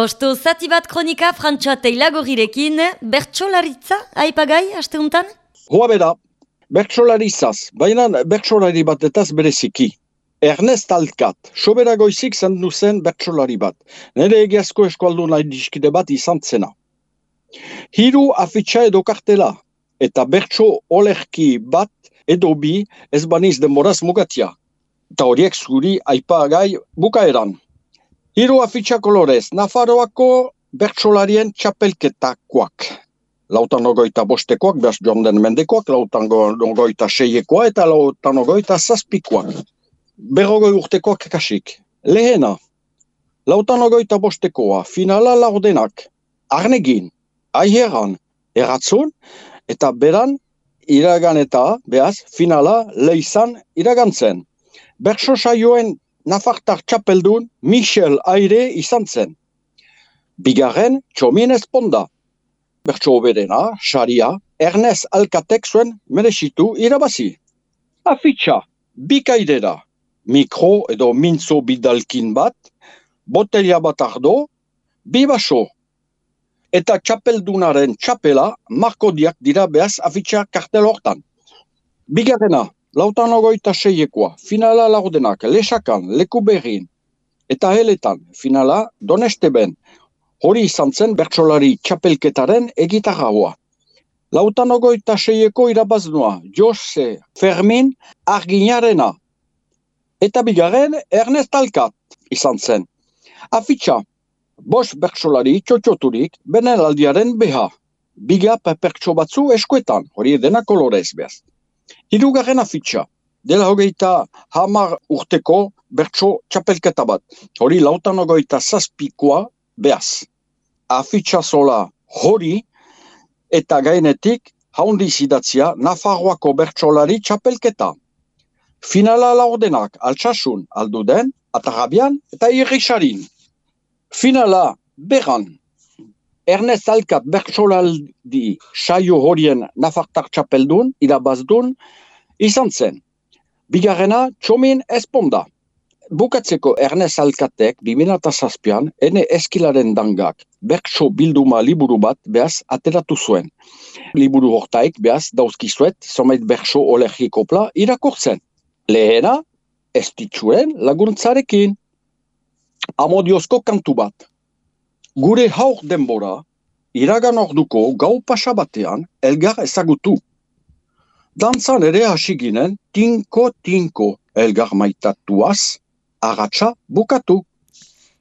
Osto zati bat kronika Frantxoa Teilagorrirekin, bertsolaritza aipagai asteuntan? Hoa bera, bertsolaritzaz, baina bertsolari batetaz bereziki. Ernest Alkat, sobera goizik zendu zen bertsolari bat. Nere egiazko eskualdu nahi diskide bat izan zena. Hiru afitxa edo kartela, eta bertso olerki bat edo bi ez baniz denboraz mugatia. Eta horiek zuri aipagai bukaeran. Hiru afitxa kolorez, Nafarroako bertsolarien txapelketakoak. Lautan ogoita bostekoak, behaz joan den mendekoak, lautan ogoita seiekoa eta lautan ogoita zazpikoak. Berrogoi urtekoak kasik. Lehena, lautan ogoita bostekoa, finala laurdenak, Arnegin, Aiheran, Erratzun, eta beran iragan eta, behaz, finala Leizan iragantzen. Bertso saioen Nafartar txapeldun Michel Aire izan zen. Bigarren, Txomin Esponda. Bertso oberena, saria, Ernest Alkatek zuen merezitu irabazi. Afitxa, bikaidera, mikro edo mintzo bidalkin bat, botelia bat ardo, bi baso. Eta txapeldunaren txapela markodiak dira behaz afitxa kartel hortan. Bigarrena, lautan ogoita seiekoa, finala laurdenak, Lesakan, Lekuberrin, eta heletan, finala Donesteben. Hori izan zen bertsolari txapelketaren egitarraua. Lautan ogoita seieko irabaznua, Jose Fermin Arginarena. Eta bigarren, Ernest Alkat izan zen. Afitxa, bost bertsolari txotxoturik, benelaldiaren beha. Biga pertso batzu eskuetan, hori dena kolorez behaz. Hirugarren afitxa, dela hogeita 10 urteko bertso txapelketa bat. Hori lautan ogoita zazpikoa behaz. Afitxa zola hori eta gainetik haundi zidatzia Nafarroako bertsolari txapelketa. Finala laurdenak Altsasun, Alduden, Atarabian eta Irrisarin. Finala beran. Ernest Alkat bertsolaldi saio horien Nafartar txapeldun, irabazdun, izan zen. Bigarrena, Txomin Esponda. Bukatzeko Ernest Alkatek 2007an ene eskilaren dangak bertso bilduma liburu bat behaz ateratu zuen. Liburu hortaik behaz dauzkizuet zomait bertso olergikopla irakurtzen. Lehena, ez ditxuen laguntzarekin. Amodiozko kantu bat. Gure haur denbora, iragan orduko gau pasa batean elgar ezagutu. Dantzan ere hasi ginen, tinko elgar maitatuaz, agatsa bukatu.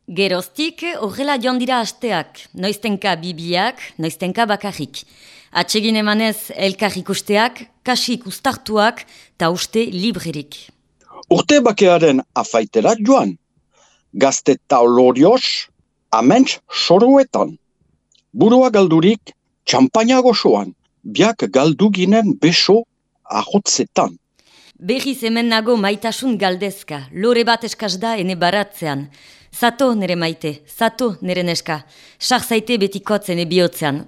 Geroztik horrela joan dira asteak, noiztenka bibiak, noiztenka bakarrik. Atsegin emanez elkar ikusteak, kasik ustartuak, ta uste librerik. Urte bakearen afaitera joan, gazte taulorioz, aments soruetan. Burua galdurik, txampaina gozoan, biak galdu ginen beso ahotzetan. Berriz hemen nago maitasun galdezka, lore bat eskaz da ene baratzean. Zato nere maite, zato nere neska, sarzaite betikotzen ebihotzean.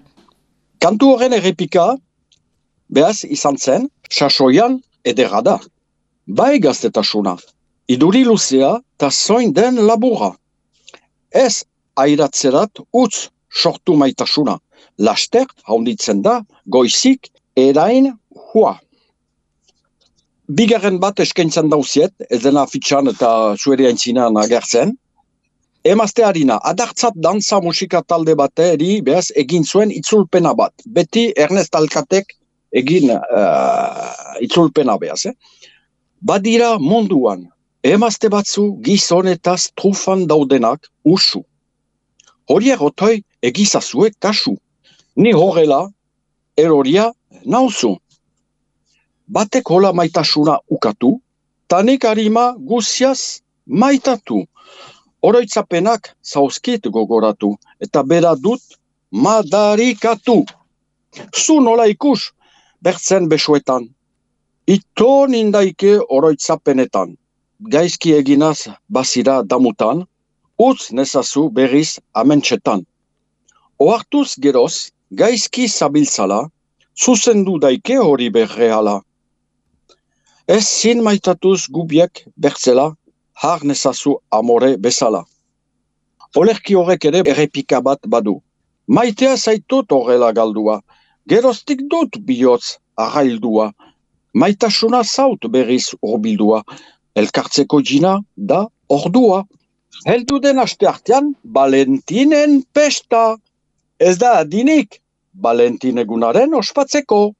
Kantu horren errepika, behaz izan zen, sasoian edera da. Bai gaztetasuna, iduri luzea ta zoin den labura. Ez airatzerat utz sortu maitasuna. Laster haunditzen da, goizik erain hua. Bigarren bat eskaintzen dauziet, ez dena afitxan eta zueri aintzinan agertzen. Emazte harina, adartzat dantza musika talde bateri behaz egin zuen itzulpena bat. Beti Ernest Alkatek egin itzulpena behaz. Badira munduan, emazte batzu gizonetaz trufan daudenak usu. Horiek otoi egizazue kasu. Ni horrela, eroria nauzu. Batek hola maitasuna ukatu, tanik harima guziaz maitatu. Oroitzapenak zauzkit gogoratu, eta bera dut madarikatu. Zu nola ikus, bertzen besoetan. Ito nindaike oroitzapenetan. Gaizki eginaz bazira damutan, utz nezazu berriz amentsetan. Oartuz geroz, gaizki zabiltzala, zuzendu daike hori berreala. Ez zin maitatuz gubiek bertzela, har nezazu amore bezala. Olerki horrek ere errepika bat badu. Maitea zaitut horrela galdua, geroztik dut bihotz arraildua, maitasuna zaut berriz urbildua, elkartzeko jina da ordua. Heldu den aste artean, Valentinen pesta. Ez da adinik, Valentin egunaren ospatzeko.